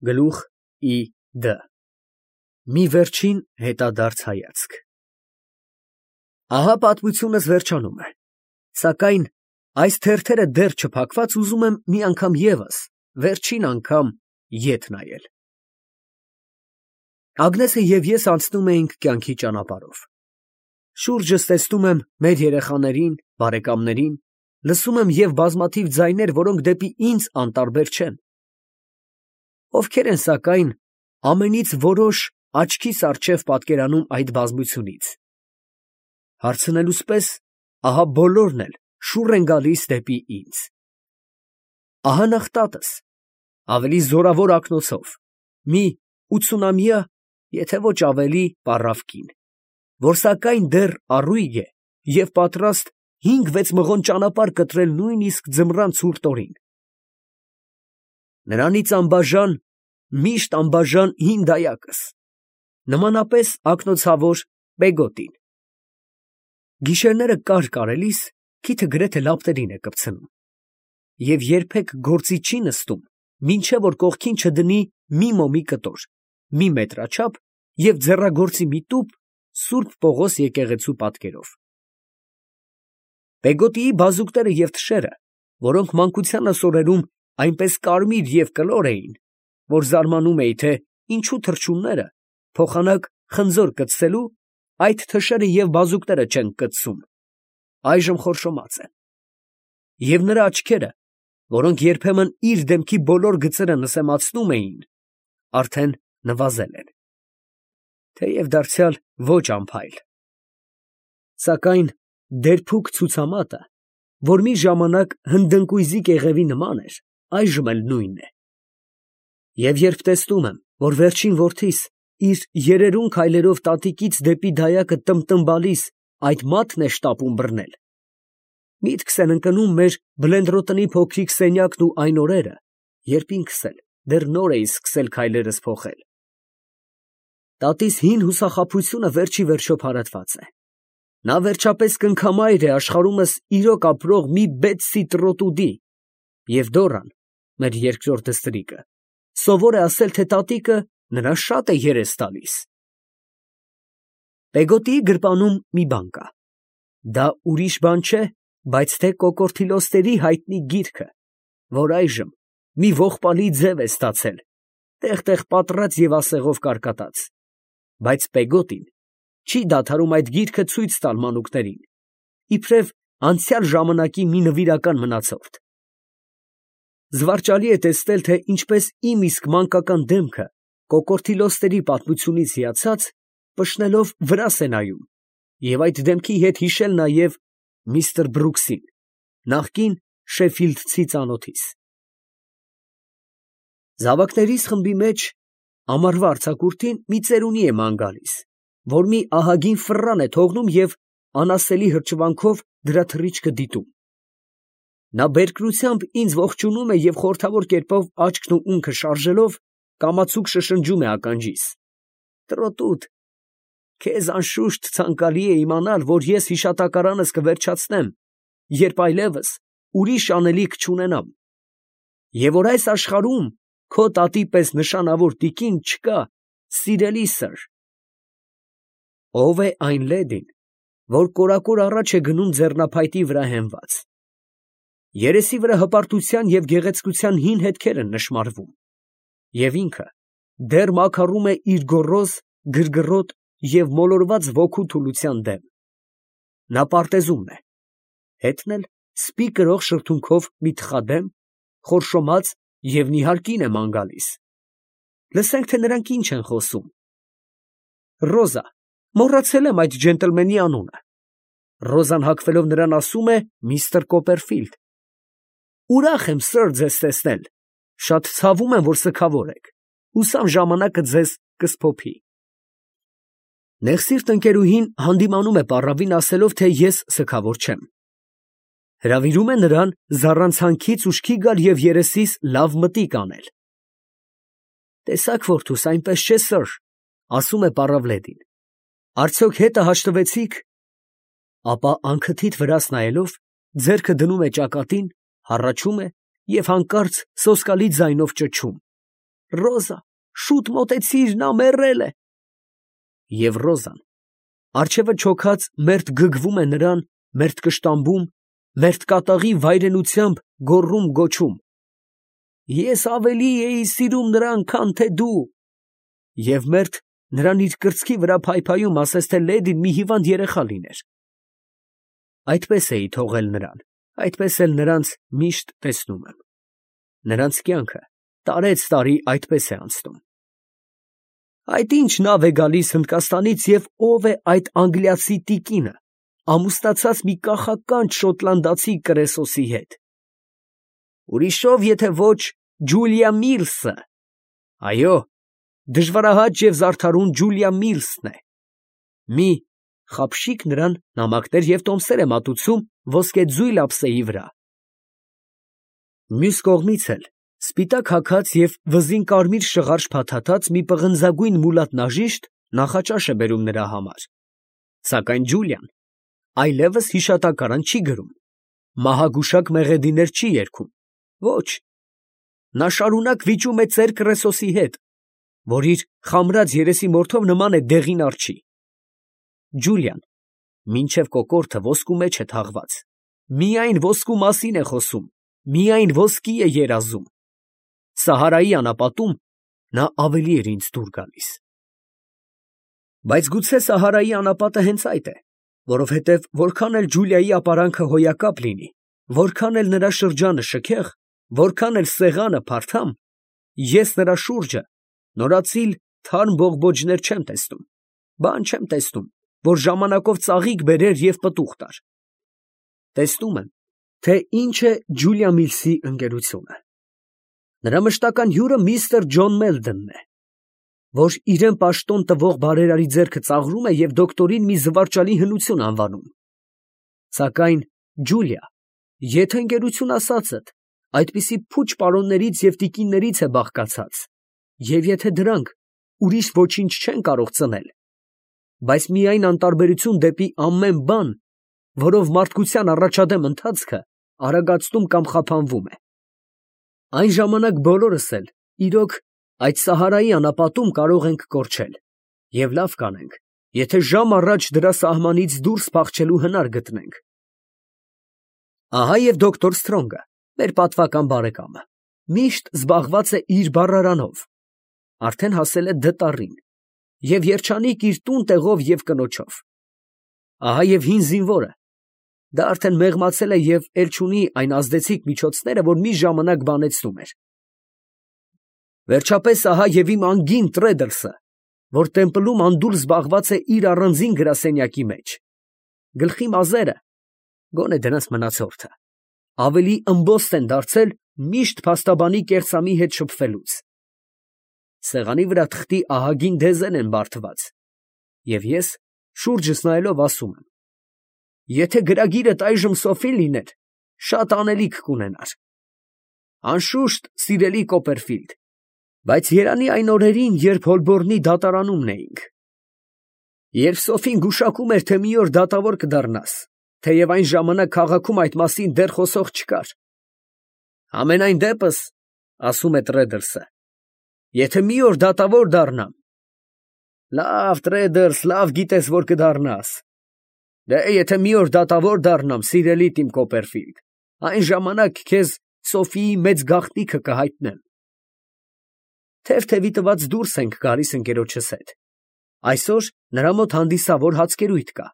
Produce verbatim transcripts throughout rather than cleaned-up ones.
Գլուխ ի դ Մի վերջին հետադարձ հայացք։ Ահա պատմությունս վերջանում է, սակայն այս թերթերը դեռ չփակված ուզում եմ մի անգամ ևս, վերջին անգամ ետ նայել։ Ագնեսը և ես անցնում էինք կյանքի ճանապարհով։ Շուրջս տեսնում եմ մեր երեխաներին, բարեկամներին, լսում եմ և բազմաթիվ ձայներ, որոնք դեպի ինձ անտարբեր չեն։ Ովքեր են, սակայն, ամենից որոշ աչքիս առջև պատկերանում այդ բազմությունից։ Հարցնելուս պես, ահա բոլորն էլ շուռ են գալիս դեպի ինձ։ Ահա նախ տատս, ավելի զորավոր ակնոցով, մի ութսունամյա, եթե ոչ ավելի պառավ կին, որ սակայն դեռ առույգ է և պատրաստ հինգ֊վեց մղոն ճանապարհ կտրել նույնիսկ ձմռան ցուրտ օրին։ Նրանից անբաժան, միշտ անբաժան հին դայակս, նմանապես ակնոցավոր Պեգոտին։ Գիշերները կար կարելիս քիթը գրեթե լապտերին է կպցնում և երբեք գործի չի նստում, մինչև որ կողքին չդնի մի մոմի կտոր, մի մետրաչափ և ձեռագործի մի տուփ Սուրբ Պողոս եկեղեցու պատկերով։ Պեգոտիի բազուկները և թշերը, որոնք մանկությանս օրերում այնպես կարմիր և կլոր էին, որ զարմանում էի, թե ինչու թռչունները, փոխանակ խնձոր կծցելու, այդ թշերը և բազուկները չեն կծցում, այժմ խորշոմած են, և նրա աչքերը, որոնք երբեմն իր դեմքի բոլոր գծերը նսեմացնում էին, արդեն նվազել են, թեև դարձյալ ոչ անփայլ։ Սակայն դերբուք ցուցամատը, որ մի ժամանակ հնդընկույզի կեղևի նման էր, այժմ էլ նույնն է։ Եվ երբ տեսնում եմ, որ վերջին որդիս իր երերուն քայլերով տատիկից դեպի դայակը տմբտմբալիս այդ մատն է շտապում բռնել, միտքս են ընկնում մեր Բլենդրոտնի փոքրիկ սենյակն ու այն օրերը, երբ ինքս էլ դեռ նոր էի սկսել քայլերս փոխել։ Տատիս հին հուսախաբությունը վերջ ի վերջո փարատված է։ Նա վերջապես կնքամայր է աշխարհումս իրոք ապրող մի բեցսի տրոտուդի, և Դոռան, մեր երկրորդ դստրիկը, սովոր է ասել, թե տատիկը նրան շատ է երես տալիս։ Պեգոտիի գրպանում մի բան կա։ Դա ուրիշ բան չէ, բայց թե Կոկորդիլոսների հայտնի գիրքը, որ այժմ մի ողբալի ձև է ստացել, տեղ֊տեղ պատռած և ասեղով կարկատած, բայց Պեգոտին չի դադարում այդ գիրքը ցույց տալ մանուկներին, իբրև անցյալ ժամանակի մի նվիրական մնացորդ։ Զվարճալի է տեսնել, թե ինչպես իմ իսկ մանկական դեմքը, Կոկորդիլոսների պատմությունից հիացած, պշնելով վրաս է նայում, և այդ դեմքի հետ հիշել նաև միստր Բրուքսին, նախկին շեֆիլդցի ծանոթիս։ Զավակներիս խմբի մեջ ամառվա արձակուրդին մի ծերունի է ման գալիս, որ մի ահագին ֆռռան է թողնում և անասելի հրճվանքով դրա թռիչքը դիտում։ Նա բերկրությամբ ինձ ողջունում է և խորհրդավոր կերպով աչքն ու ունքը շարժելով, կամացուկ շշնջում է ականջիս. «Տրոտուտ, քեզ անշուշտ ցանկալի է իմանալ, որ ես հիշատակարանս կվերջացնեմ, երբ այլևս ուրիշ անելիք չունենամ, և որ այս աշխարհում քո տատի պես նշանավոր տիկին չկա, սիրելի սըր»։ Ո՞վ է այն լեդին, որ կորակոր առաջ է գնում ձեռնափայտի վրա հենված։ Երեսի վրա հպարտության և գեղեցկության հին հետքեր են նշմարվում, և ինքը դեռ մաքարում է իր գոռոզ, գրգռոտ և մոլորված ոգու թուլության դեմ։ Նա պարտեզումն է, հետն էլ սպի կրող շրթունքով մի թխադեմ, խորշոմած և նիհար կին է ման գալիս։ Լսենք, թե նրանք ինչ են խոսում։ Ռոզա, մոռացել եմ այդ ջենտլմենի անունը։ Ռոզան հագվելով նրան ասում է միստր Կոպերֆիլդ։ Ուրախ եմ, սըր, ձեզ տեսնել, շատ ցավում եմ, որ սգավոր եք, հուսամ ժամանակը ձեզ կսփոփի։ Նեղսիրտ ընկերուհին հանդիմանում է պառավին, ասելով, թե ես սգավոր չեմ։ Հրավիրում է նրան զառանցանքից ուշքի գալ և երեսիս լավ մտիկ անել։ Տեսա՞ք, որդուս, այնպես չէ, սըր, ասում է պառավ լեդին, արդյոք հետը հաշտվեցի՞ք։ Ապա անքթիթ վրաս նայելով, ձեռքը դնում է ճակատին, հառաչում է և հանկարծ սոսկալի ձայնով ճչում. Ռոզա, շուտ մոտեցիր, նա մեռել է։ Եվ Ռոզան առջևը չոքած մերթ գգվում է նրան, մերթ կշտամբում, մերթ կատաղի վայրենությամբ գոռում գոչում. ես ավելի էի սիրում նրան, քան թե դու, և մերթ նրան իր կրծքի վրա փայփայում, ասես թե լեդին մի հիվանդ երեխա լիներ։ Այդպես էի թողել նրան, այդպես էլ նրանց միշտ տեսնում եմ։ Նրանց կյանքը տարեց֊տարի այդպես է անցնում։ Այդ ինչ նավ է գալիս Հնդկաստանից և ով է այդ անգլիացի տիկինը, ամուսնացած մի կախականջ շոտլանդացի կրեսոսի հետ։ Ուրիշով եթե ոչ Ջուլիա Միլսը։ Այո, դժվարահաճ և զարդարուն Ջուլիա Միլսն է։ Մի խաբշիկ նրան նամակներ և տոմսեր է մատուցում ոսկեձույլ ափսեի վրա։ Մյուս կողմից էլ սպիտակ հագած և վզին կարմիր շղարշ փաթաթած մի պղնձագույն մուլատնաժիշտ նախաճաշ է բերում նրա համար։ Սակայն Ջուլիան այլևս հիշատակարան չի գրում, մահագուշակ մեղեդիներ չի երգում, ոչ, նա շարունակ վիճում է ծեր կրեսոսի հետ, որ իր խամրած երեսի մորթով նման է դեղին արջի։ Ջուլիան մինչև կոկորդը ոսկու մեջ է թաղված, միայն ոսկու մասին է խոսում, միայն ոսկի է երազում։ Սահարայի անապատում նա ավելի էր ինձ դուր գալիս։ Բայց գուցե Սահարայի անապատը հենց այդ է, որովհետև որքան էլ Ջուլիայի ապարանքը հոյակապ լինի, որքան էլ նրա շրջանը շքեղ, որքան էլ սեղանը փարթամ, ես նրա շուրջը նորածիլ թարմ բողբոջներ չեմ տեսնում, բան չեմ տեսնում, որ ժամանակով ծաղիկ բերեր և պտուղ տար։ Տեսնում եմ, թե ինչ է Ջուլիա Միլսի ընկերությունը։ Նրա մշտական հյուրը միստր Ջոն Մելդոնն է, որ իրեն պաշտոն տվող բարերարի ձեռքը ծաղրում է և դոկտորին մի զվարճալի հնություն անվանում։ Սակայն Ջուլիա, եթե ընկերություն ասածդ այդպիսի փուչ պարոններից և տիկիններից է բաղկացած, և եթե դրանք ուրիշ ոչինչ չեն կարող ծնել, բայց միայն անտարբերություն դեպի ամեն բան, որով մարդկության առաջադեմ ընթացքը արագացնում կամ խափանվում է, այն ժամանակ բոլորս էլ, իրոք, այդ Սահարայի անապատում կարող ենք կորչել, և լավ կանենք, եթե ժամ առաջ դրա սահմանից դուրս փախչելու հնար գտնենք։ Ահա և դոկտոր Սթրոնգը, մեր պատվական բարեկամը, միշտ զբաղված է իր բառարանով, արդեն հասել է դտառին, և երջանիկ իր տուն տեղով և կնոջով։ Ահա և հին զինվորը, դա արդեն մեղմացել է և էլ չունի այն ազդեցիկ միջոցները, որ մի ժամանակ բանեցնում էր։ Վերջապես ահա և իմ անգին Տրեդլսը, որ տեմպլում անդուր զբաղված է իր առանձին գրասենյակի մեջ, գլխի մազերը, գոնե դրանց մնացորդը, ավելի ըմբոստ են դարձել միշտ փաստաբանի կեղծամի հետ շփվելուց։ Սեղանի վրա թղթի ահագին դեզեն են բարդված, և ես շուրջս նայելով ասում եմ. եթե գրագիրդ այժմ Սոֆին լիներ, շատ անելիք կունենար։ Անշուշտ, սիրելի Կոպերֆիլդ, բայց երանի այն օրերին, երբ Հոլբորնի դատարանումն էինք, երբ Սոֆին գուշակում էր, թե մի օր դատավոր կդառնաս, թեև այն ժամանակ քաղաքում այդ մասին դեռ խոսող չկար։ Համենայն դեպս, ասում է Տրեդլսը, եթե մի օր դատավոր դառնամ, լավ, Տրեդլս, լավ գիտես, որ կդառնաս։ Դե եթե մի օր դատավոր դառնամ, սիրելիդ իմ Կոպերֆիլդ, այն ժամանակ քեզ Սոֆիի մեծ գաղտնիքը կհայտնեմ։ Թև-թևի տված դուրս ենք գալիս ընկերոջս հետ։ Այսօր նրա մոտ հանդիսավոր հացկերույթ կա։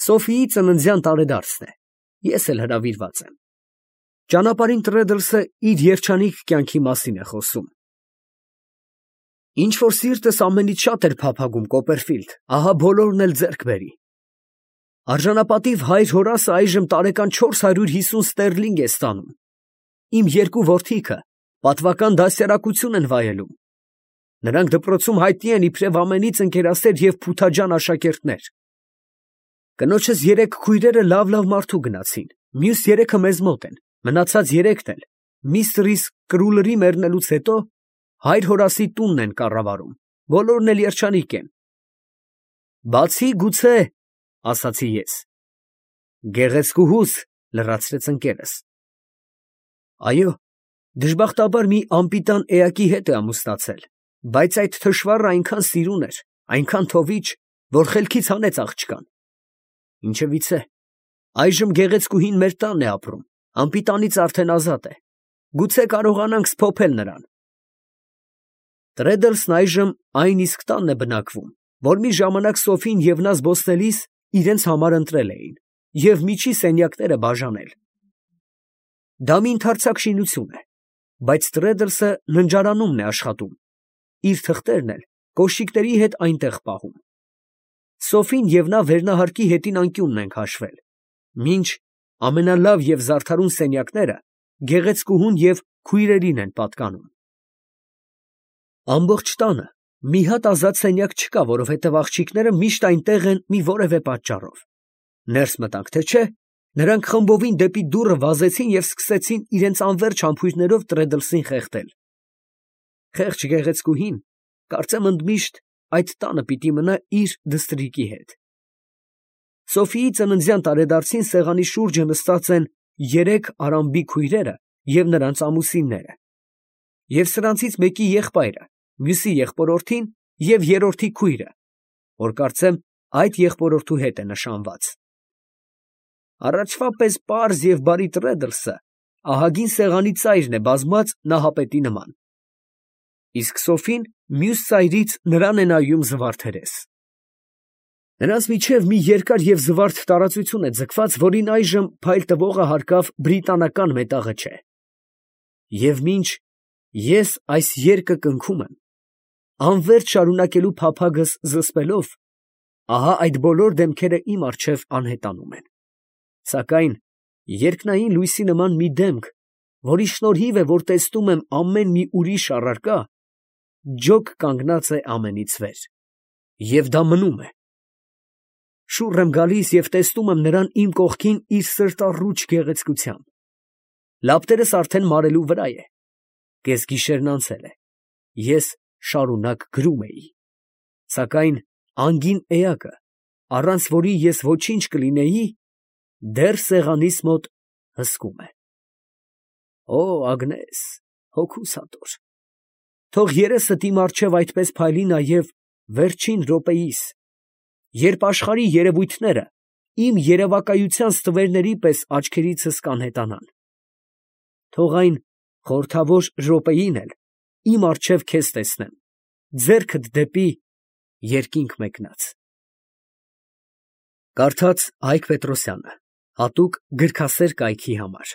Սոֆիի ծննդյան տարեդարձն է, ես էլ հրավիրված եմ։ Ճանապարհին Տրեդլսը իր երջանիկ կյանքի մասին է խոսում։ Ինչ որ սիրտս ամենից շատ էր փափագում, Կոպերֆիլդ, ահա բոլորն էլ ձեռք բերի։ Արժանապատիվ հայր Հորասը այժմ տարեկան չորս հարյուր հիսուն ստերլինգ է ստանում։ Իմ երկու որդիքը պատվական դաստիարակություն են վայելում։ Նրանք դպրոցում հայտնի են իբրև ամենից ընկերասեր և փութաջան աշակերտներ։ Կնոջս երեք քույրերը լավ֊լավ մարդու գնացին, մյուս երեքը մեզ մոտ են, մնացած երեքն էլ միստրիս Կրուլլերի մեռնելուց հետո հայր Հորասի տունն են կառավարում, բոլորն էլ երջանիկ են։ Բացի գուցե, ասացի ես։ Գեղեցկուհուս, լրացրեց ընկերս։ Այո, Դժբախտաբար մի անպիտան էակի հետ է ամուսնացել, բայց այդ թշվառը այնքան սիրուն էր, այնքան թովիչ, որ խելքից հանեց աղջկան։ Ինչևիցե, այժմ գեղեցկուհին մեր տանն է ապրում, անպիտանից արդեն ազատ է, գուցե կարողանանք սփոփել նրան։ Տրեդլսն այժմ այն իսկ տանն է բնակվում, որ մի ժամանակ Սոֆին և նա զբոսնելիս իրենց համար ընտրել էին և միջի սենյակները բաժանել։ Դա մի ընդարձակ շինություն է, բայց Տրեդլսը ննջարանումն է աշխատում, իր թղթերն էլ կոշիկների հետ այնտեղ պահում։ Սոֆին և նա վերնահարկի հետին անկյունն են քաշվել, մինչ ամենալավ և զարդարուն սենյակները գեղեցկուհուն և քույրերին են պատկանում։ Ամբողջ տանը մի հատ ազատ սենյակ չկա, որովհետև աղջիկները միշտ այնտեղ են մի որևէ պատճառով։ Ներս մտանք, թե չէ, նրանք խմբովին դեպի դուռը վազեցին և սկսեցին իրենց անվերջ համբույրներով Տրեդլսին խեղդել։ Խեղճ գեղեցկուհին, կարծեմ ընդմիշտ այդ տանը պիտի մնա իր դստրիկի հետ։ Սոֆիի ծննդյան տարեդարձին սեղանի շուրջը նստած են երեք Արամբի քույրերը և նրանց ամուսինները, և սրանցից մեկի եղբայրը, մյուսի եղբորորդին և երրորդի քույրը, որ կարծեմ այդ եղբորորդու հետ է նշանված։ Առաջվա պես պարզ և բարի Տրեդլսը ահագին սեղանի ծայրն է բազմած նահապետի նման, իսկ Սոֆին մյուս ծայրից նրան է նայում զվարթերես։ Նրանց միջև մի երկար և զվարթ տարածություն է ձգված, որին այժմ փայլ տվողը հարկավ բրիտանական մետաղը չէ։ Եվ մինչ ես այս երգը կնքում եմ, անվերջ շարունակելու փափագս զսպելով, ահա այդ բոլոր դեմքերը իմ առջև անհետանում են, սակայն երկնային լույսի նման մի դեմք, որի շնորհիվ է, որ տեսնում եմ ամեն մի ուրիշ առարկա, ջոկ կանգնած է ամենից վեր, և դա մնում է։ Շուռ եմ գալիս և տեսնում եմ նրան իմ կողքին իր սրտառուչ գեղեցկությամբ։ Լապտերս արդեն մարելու վրա է, կեսգիշերն անցել է, ես շարունակ գրում էի, սակայն անգին էակը, առանց որի ես ոչինչ կլինեի, դեռ սեղանիս մոտ հսկում է։ Օ Ագնես, հոգուս հատոր, թող երեսդ իմ առջև այդպես փայլի նաև վերջին րոպեիս, երբ աշխարհի երևույթները իմ երևակայության ստվերների պես աչքերիցս կանհետանան։ Թող այն խորհրդավոր րոպեին էլ իմ առջև քեզ տեսնեմ, ձեռքդ դեպի երկինք մեկնած։ Կարդաց Հայկ Պետրոսյանը, հատուկ գրքասեր կայքի համար։